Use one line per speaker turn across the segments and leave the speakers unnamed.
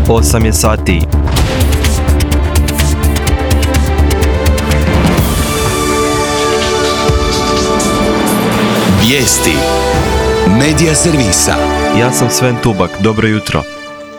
8 je sati.
Vijesti Medija servisa.
Ja sam Sven Tubak, dobro jutro.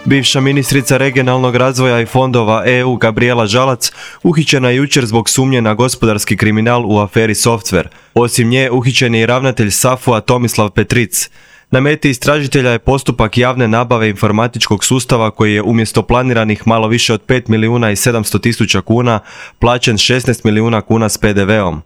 Bivša ministrica regionalnog razvoja i fondova EU Gabrijela Žalac uhićena je jučer zbog sumnje na gospodarski kriminal u aferi Software. Osim nje uhićen je i ravnatelj SAFU-a Tomislav Petric. Na meti istražitelja je postupak javne nabave informatičkog sustava koji je umjesto planiranih malo više od 5 milijuna i 700 tisuća kuna plaćen 16 milijuna kuna s PDV-om.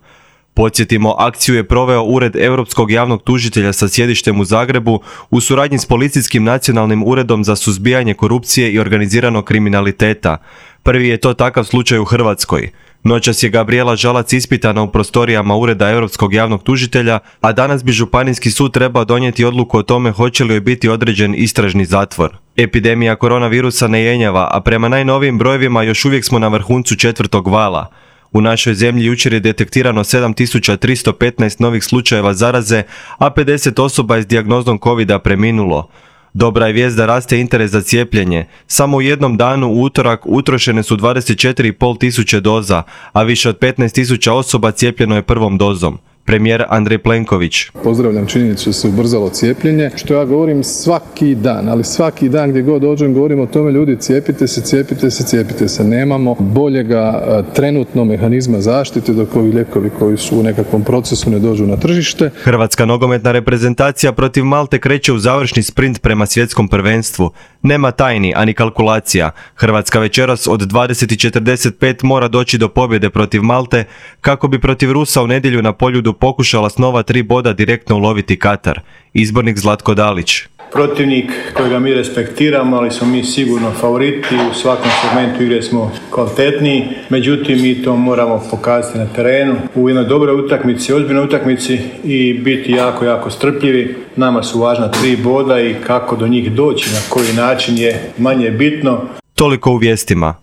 Podsjetimo, akciju je proveo Ured Europskog javnog tužitelja sa sjedištem u Zagrebu u suradnji s Policijskim nacionalnim uredom za suzbijanje korupcije i organiziranog kriminaliteta. Prvi je to takav slučaj u Hrvatskoj. Noćas je Gabrijela Žalac ispitana u prostorijama Ureda Europskog javnog tužitelja, a danas bi Županijski sud trebao donijeti odluku o tome hoće li joj biti određen istražni zatvor. Epidemija koronavirusa ne jenjava, a prema najnovijim brojevima još uvijek smo na vrhuncu 4. vala. U našoj zemlji jučer je detektirano 7315 novih slučajeva zaraze, a 50 osoba je s dijagnozom COVID-a preminulo. Dobra je vijest da raste interes za cijepljenje. Samo u jednom danu u utorak utrošene su 24,5 tisuće doza, a više od 15 tisuća osoba cijepljeno je prvom dozom. Premijer Andrej Plenković.
Pozdravljam činjenicu da se ubrzalo cijepljenje, što ja govorim svaki dan, ali svaki dan gdje god dođem govorim o tome, ljudi, cijepite se, cijepite se, cijepite se. Nemamo boljega trenutno mehanizma zaštite dok ovi lijekovi koji su u nekakvom procesu ne dođu na tržište.
Hrvatska nogometna reprezentacija protiv Malte kreće u završni sprint prema svjetskom prvenstvu. Nema tajni, ani kalkulacija. Hrvatska večeras od 20:45 mora doći do pobjede protiv Malte kako bi protiv Rusa u nedjelju na Poljudu pokušala s nova 3 boda direktno uloviti Katar. Izbornik Zlatko Dalić.
Protivnik kojega mi respektiramo, ali smo mi sigurno favoriti, u svakom segmentu igre smo kvalitetniji, međutim mi to moramo pokazati na terenu, u jednoj dobroj utakmici, ozbiljnoj utakmici i biti jako, jako strpljivi. Nama su važna 3 boda i kako do njih doći, na koji način je manje bitno.
Toliko u vijestima.